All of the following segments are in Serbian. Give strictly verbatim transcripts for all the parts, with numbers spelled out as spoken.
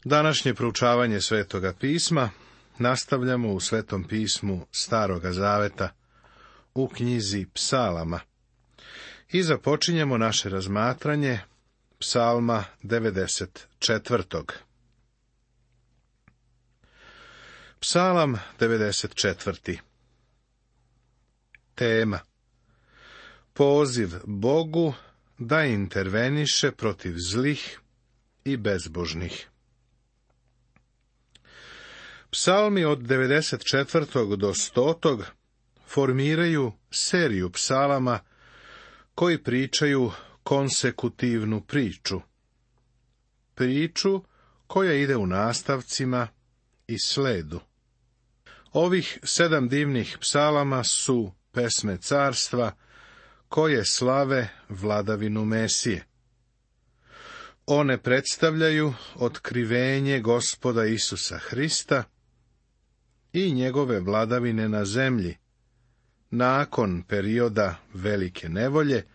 Današnje proučavanje Svetoga pisma nastavljamo u Svetom pismu Staroga zaveta, u knjizi Psalama. I započinjemo naše razmatranje Psalma devedeset četvrtog. Psalam devedeset četvrti. Tema: poziv Bogu da interveniše protiv zlih i bezbožnih. Psalmi od devedeset četvrtog do stotog formiraju seriju psalama koji pričaju konsekutivnu priču. Priču koja ide u nastavcima i sledu. Ovih sedam divnih psalama su pesme carstva koje slave vladavinu Mesije. One predstavljaju otkrivenje Gospoda Isusa Hrista i njegove vladavine na zemlji, nakon perioda velike nevolje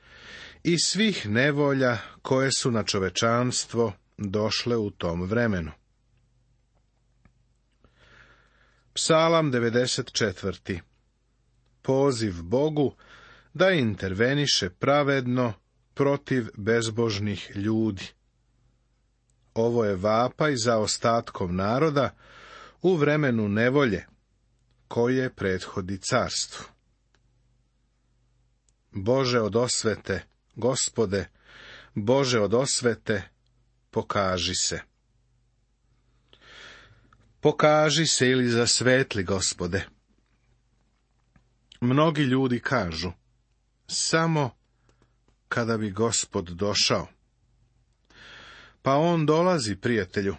i svih nevolja koje su na čovečanstvo došle u tom vremenu. Psalam devedeset četvrti. Poziv Bogu da interveniše pravedno protiv bezbožnih ljudi. Ovo je vapaj za ostatkom naroda u vremenu nevolje koje prethodi carstvu. Bože od osvete, Gospode, Bože od osvete, pokaži se. Pokaži se ili zasvetli, Gospode. Mnogi ljudi kažu, samo kada bi Gospod došao. Pa on dolazi, prijatelju,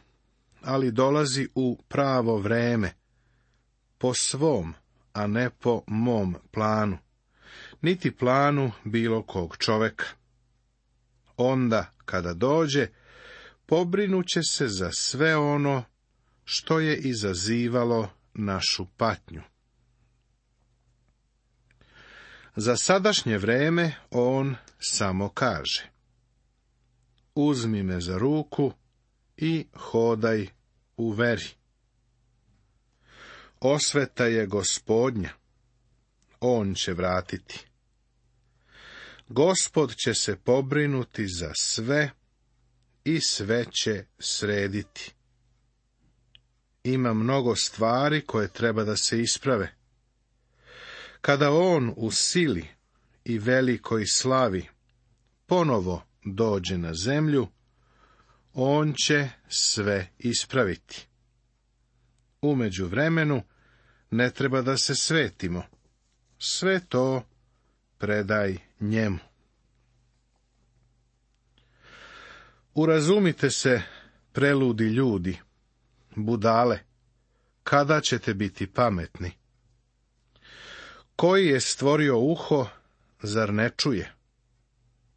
ali dolazi u pravo vreme, po svom, a ne po mom planu, niti planu bilo kog čoveka. Onda, kada dođe, pobrinuće se za sve ono što je izazivalo našu patnju. Za sadašnje vreme on samo kaže: uzmi me za ruku i hodaj u veri. Osveta je Gospodnja, on će vratiti. Gospod će se pobrinuti za sve i sve će srediti. Ima mnogo stvari koje treba da se isprave. Kada on u sili i velikoj slavi ponovo dođe na zemlju, on će sve ispraviti. U međuvremenu ne treba da se svetimo. Sve to predaj njemu. Urazumite se, preludi ljudi, budale, kada ćete biti pametni? Koji je stvorio uho, zar ne čuje?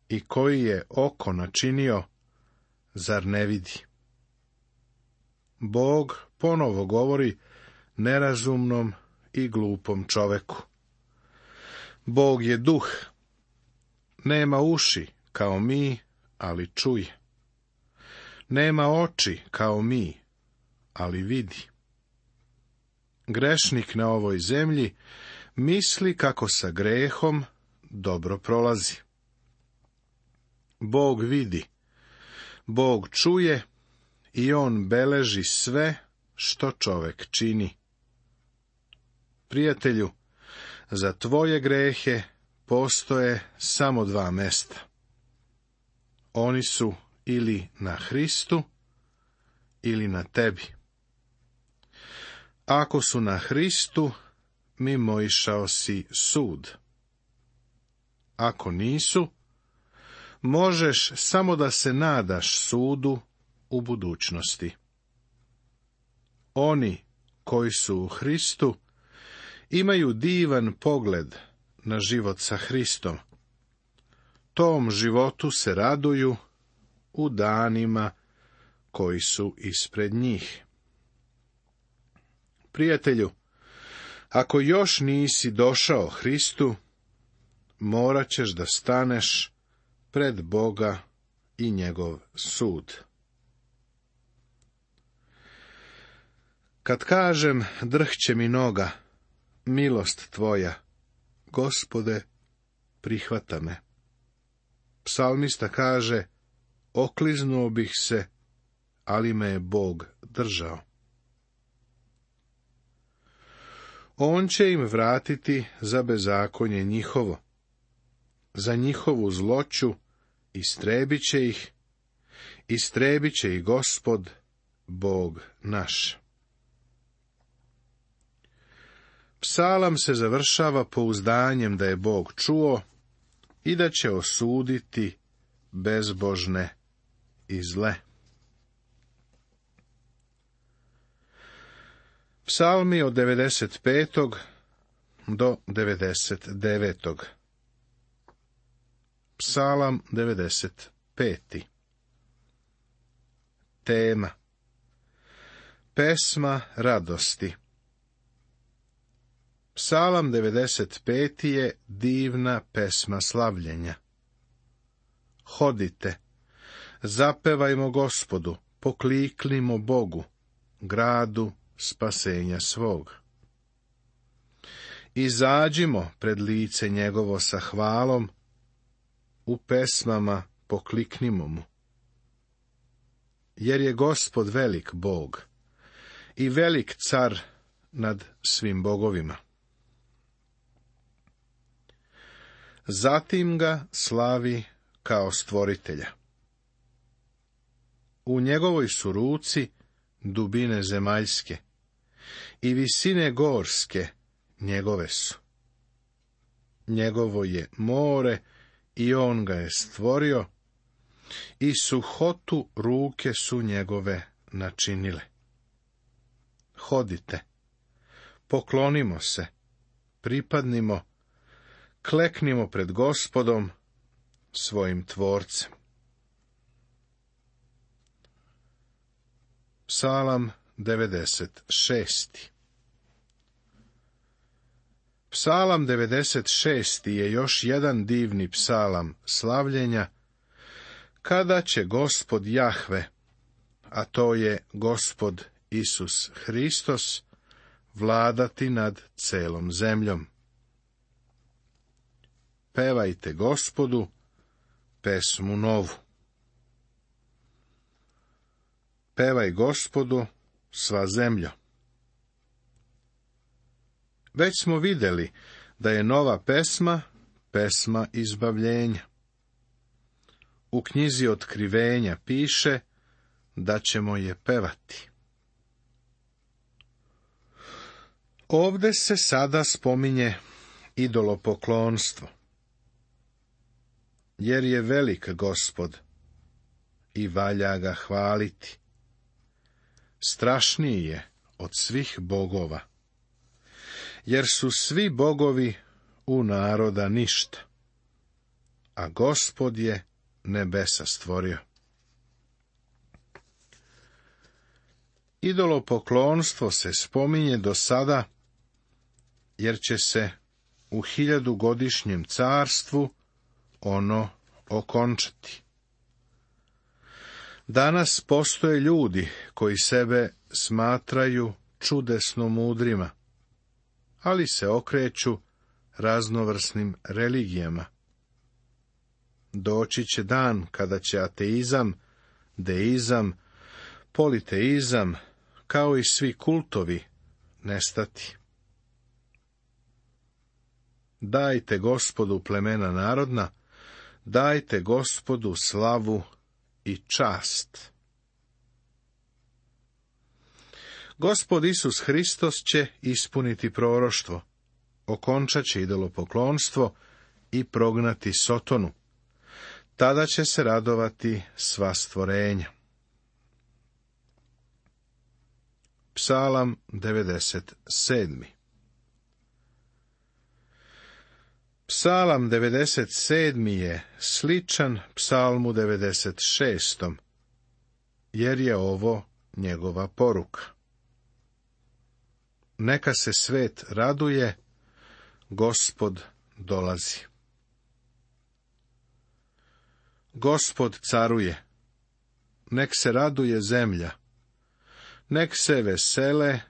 I koji je oko načinio, zar ne vidi? Bog ponovo govori nerazumnom i glupom čoveku. Bog je duh, nema uši kao mi, ali čuje. Nema oči kao mi, ali vidi. Grešnik na ovoj zemlji misli kako sa grehom dobro prolazi. Bog vidi, Bog čuje i on beleži sve što čovek čini. Prijatelju, za tvoje grehe postoje samo dva mesta. Oni su ili na Hristu, ili na tebi. Ako su na Hristu, mimoišao si sud. Ako nisu, možeš samo da se nadaš sudu u budućnosti. Oni koji su u Hristu imaju divan pogled na život sa Hristom. Tom životu se raduju u danima koji su ispred njih. Prijatelju, ako još nisi došao Hristu, morat ćeš da staneš pred Boga i njegov sud. Kad kažem, drhće mi noga, milost tvoja, Gospode, prihvata me. Psalmista kaže, okliznuo bih se, ali me je Bog držao. On će im vratiti za bezakonje njihovo, za njihovu zloću istrebit će ih, istrebit će ih Gospod, Bog naš. Psalam se završava pouzdanjem da je Bog čuo i da će osuditi bezbožne i zle. Psalmi od devedeset petog do devedeset devetog. Psalam devedeset peti. Tema: pesma radosti. Psalam devedeset peti je divna pesma slavljenja. Hodite, zapevajmo Gospodu, pokliknimo Bogu, gradu spasenja svog. Izađimo pred lice njegovo sa hvalom, u pesmama pokliknimo mu. Jer je Gospod velik Bog i velik car nad svim bogovima. Zatim ga slavi kao stvoritelja. U njegovoj su ruci dubine zemaljske i visine gorske njegove su. Njegovo je more i on ga je stvorio, i suhotu ruke su njegove načinile. Hodite, poklonimo se, pripadnimo, kleknimo pred Gospodom, svojim tvorcem. Psalam devedeset šesti. Psalam devedeset šesti je još jedan divni psalam slavljenja, kada će Gospod Jahve, a to je Gospod Isus Hristos, vladati nad celom zemljom. Pevajte Gospodu pesmu novu. Pevaj Gospodu, sva zemljo. Već smo vidjeli da je nova pesma, pesma izbavljenja. U knjizi Otkrivenja piše da ćemo je pevati. Ovde se sada spominje idolopoklonstvo, jer je velik Gospod i valja ga hvaliti. Strašniji je od svih bogova, jer su svi bogovi u naroda ništa, a Gospod je nebesa stvorio. Idolopoklonstvo se spominje do sada, jer će se u hiljadugodišnjem carstvu ono okončati. Danas postoje ljudi koji sebe smatraju čudesno mudrima, ali se okreću raznovrsnim religijama. Doći će dan kada će ateizam, deizam, politeizam, kao i svi kultovi, nestati. Dajte Gospodu plemena narodna, dajte Gospodu slavu i čast. Gospod Isus Hristos će ispuniti proroštvo, okončat će idolopoklonstvo i prognati Sotonu. Tada će se radovati sva stvorenja. Psalam devedeset sedmi. Psalam devedeset sedmi je sličan psalmu devedeset šestom, jer je ovo njegova poruka. Neka se svet raduje, Gospod dolazi. Gospod caruje, nek se raduje zemlja, nek se vesele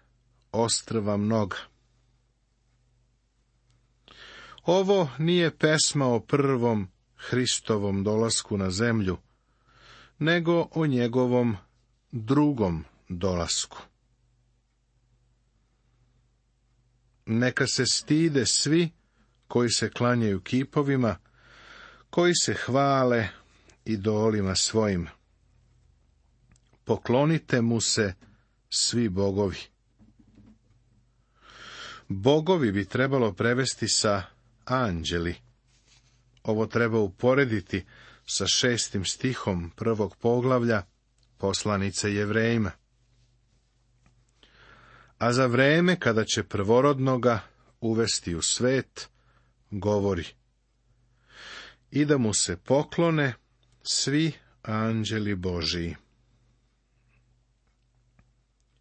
ostrva mnoga. Ovo nije pesma o prvom Hristovom dolasku na zemlju, nego o njegovom drugom dolasku. Neka se stide svi koji se klanjaju kipovima, koji se hvale idolima svojim. Poklonite mu se svi bogovi. Bogovi bi trebalo prevesti sa anđeli. Ovo treba uporediti sa šestim stihom prvog poglavlja poslanice Jevrejima. A za vreme kada će prvorodnoga uvesti u svet, govori: i da mu se poklone svi anđeli Božiji.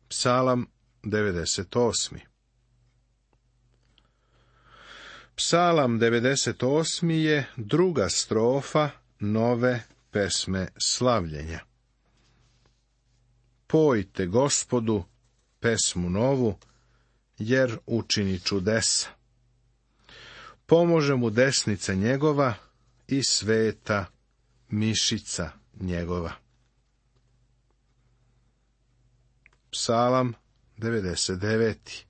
Psalam devedeset osmi. Psalam devedeset osmi je druga strofa nove pesme slavljenja. Pojte Gospodu pesmu novu, jer učini čudesa. Pomože mu desnica njegova i sveta mišica njegova. Psalam devedeset deveti.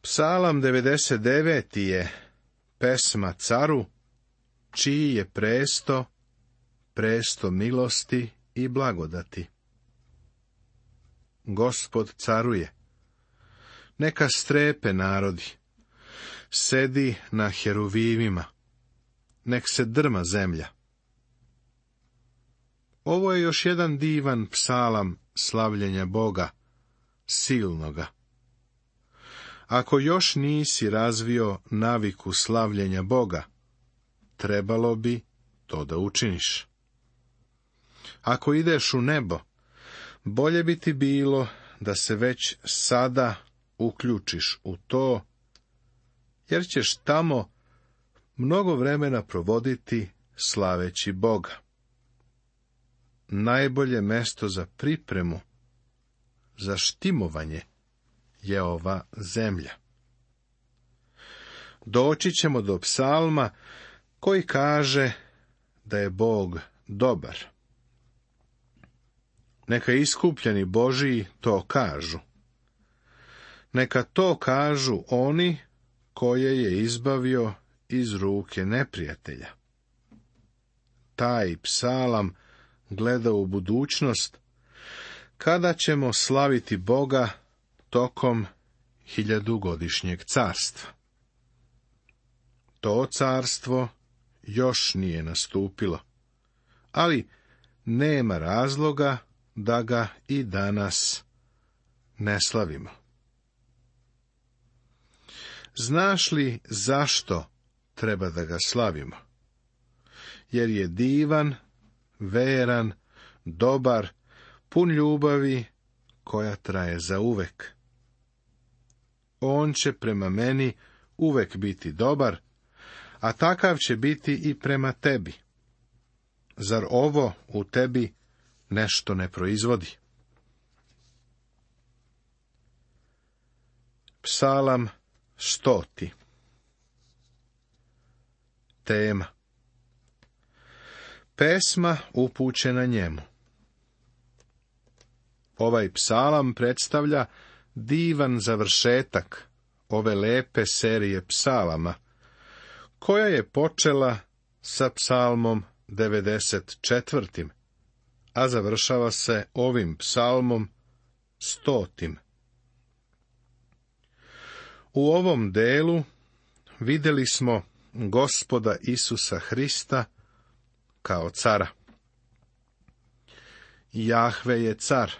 Psalam devedeset deveti je pesma caru, čiji je presto, presto milosti i blagodati. Gospod caruje. Neka strepe narodi. Sedi na heruvimima. Nek se drma zemlja. Ovo je još jedan divan psalam slavljenja Boga, silnoga. Ako još nisi razvio naviku slavljenja Boga, trebalo bi to da učiniš. Ako ideš u nebo, bolje bi ti bilo da se već sada uključiš u to, jer ćeš tamo mnogo vremena provoditi slaveći Boga. Najbolje mesto za pripremu, za štimovanje, je ova zemlja. Doći ćemo do psalma koji kaže da je Bog dobar. Neka iskupljeni Božiji to kažu. Neka to kažu oni koje je izbavio iz ruke neprijatelja. Taj psalam gleda u budućnost, kada ćemo slaviti Boga tokom hiljadugodišnjeg carstva. To carstvo još nije nastupilo, ali nema razloga da ga i danas ne slavimo. Znaš li zašto treba da ga slavimo? Jer je divan, veran, dobar, pun ljubavi koja traje zauvek. On će prema meni uvek biti dobar, a takav će biti i prema tebi. Zar ovo u tebi nešto ne proizvodi? Psalam stoti. Tema. Pesma upućena njemu. Ovaj psalam predstavlja divan završetak ove lepe serije psalama, koja je počela sa psalmom devedeset četvrtim, a završava se ovim psalmom stotim. U ovom delu vidjeli smo Gospoda Isusa Hrista kao cara. Jahve je car.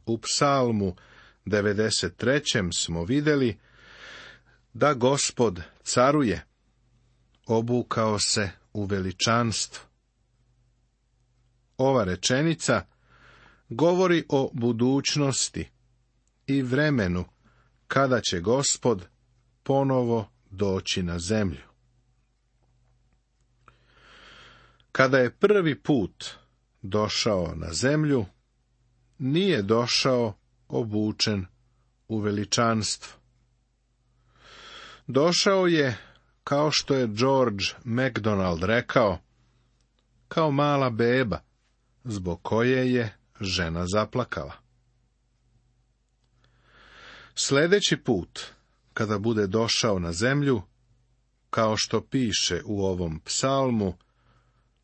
U psalmu devedeset trećem smo vidjeli da Gospod caruje, obukao se u veličanstvo. Ova rečenica govori o budućnosti i vremenu kada će Gospod ponovo doći na zemlju. Kada je prvi put došao na zemlju, nije došao obučen u veličanstvo. Došao je, kao što je George MacDonald rekao, kao mala beba, zbog koje je žena zaplakala. Sljedeći put, kada bude došao na zemlju, kao što piše u ovom psalmu,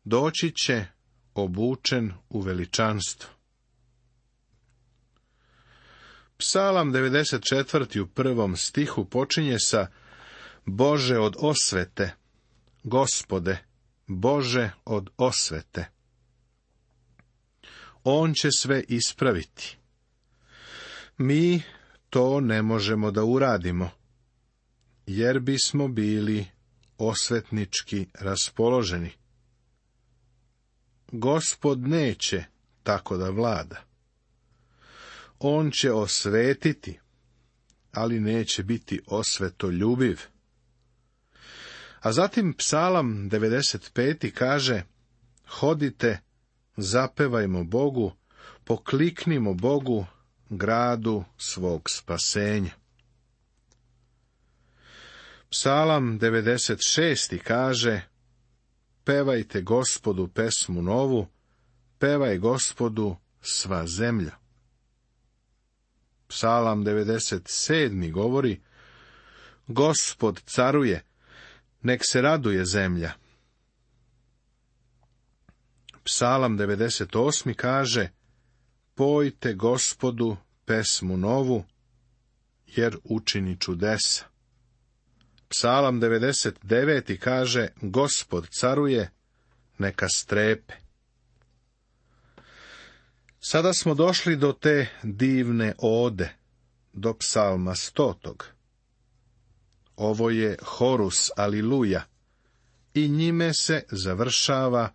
doći će obučen u veličanstvo. Psalam devedeset četvrti u prvom stihu počinje sa Bože od osvete, Gospode, Bože od osvete. On će sve ispraviti. Mi to ne možemo da uradimo, jer bismo bili osvetnički raspoloženi. Gospod neće tako da vlada. On će osvetiti, ali neće biti osvetoljubiv. A zatim Psalam devedeset peti kaže, hodite, zapevajmo Bogu, pokliknimo Bogu, gradu svog spasenja. Psalam devedeset šesti kaže, pevajte Gospodu pesmu novu, pevaj Gospodu sva zemlja. Psalam devedeset sedmi govori, Gospod caruje, nek se raduje zemlja. Psalam devedeset osmi kaže, pojte Gospodu pesmu novu, jer učini čudesa. Psalam devedeset deveti kaže, Gospod caruje, neka strepe. Sada smo došli do te divne ode, do psalma stotog. Ovo je horus aliluja i njime se završava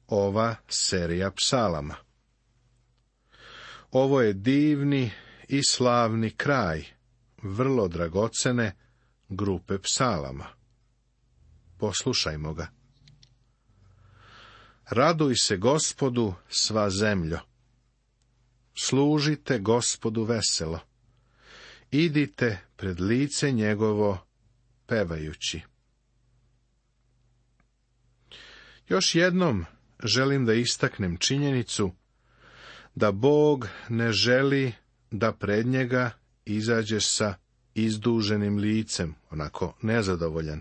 ova serija psalama. Ovo je divni i slavni kraj vrlo dragocene grupe psalama. Poslušajmo ga. Raduj se Gospodu sva zemljo. Služite Gospodu veselo. Idite pred lice njegovo pevajući. Još jednom želim da istaknem činjenicu da Bog ne želi da pred njega izađeš sa izduženim licem, onako nezadovoljan,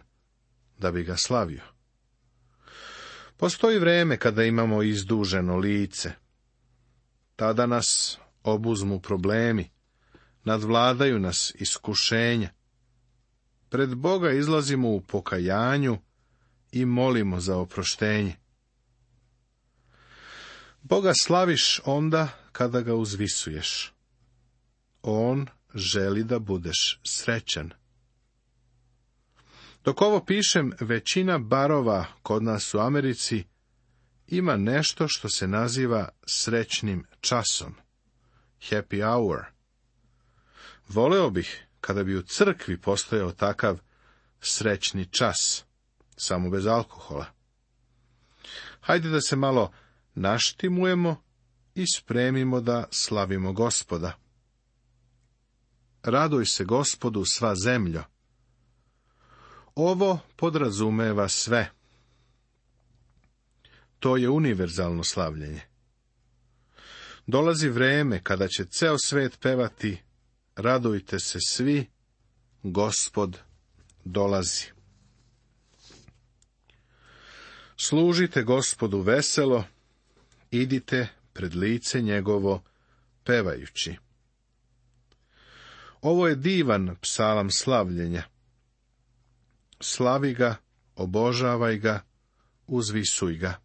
da bi ga slavio. Postoji vreme kada imamo izduženo lice. Tada nas obuzmu problemi, nadvladaju nas iskušenja. Pred Boga izlazimo u pokajanju i molimo za oproštenje. Boga slaviš onda kada ga uzvisuješ. On želi da budeš srećan. Dok ovo pišem, većina barova kod nas u Americi ima nešto što se naziva srećnim časom. Happy hour. Voleo bih kada bi u crkvi postojao takav srećni čas, samo bez alkohola. Hajde da se malo naštimujemo i spremimo da slavimo Gospoda. Raduj se Gospodu sva zemljo. Ovo podrazumeva sve. To je univerzalno slavljenje. Dolazi vreme kada će ceo svet pevati, radujte se svi, Gospod dolazi. Služite Gospodu veselo, idite pred lice njegovo pevajući. Ovo je divan psalam slavljenja. Slavi ga, obožavaj ga, uzvisuj ga.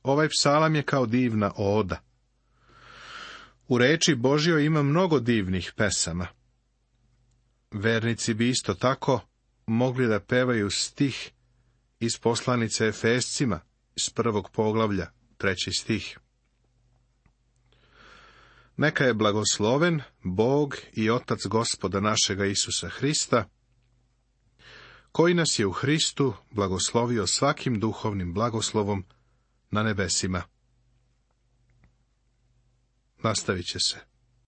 Ovaj psalam je kao divna oda. U reči Božjoj ima mnogo divnih pesama. Vernici bi isto tako mogli da pevaju stih iz poslanice Efescima, iz prvog poglavlja, treći stih. Neka je blagosloven Bog i Otac Gospoda našega Isusa Hrista, koji nas je u Hristu blagoslovio svakim duhovnim blagoslovom na nebesima. Nastavit će se.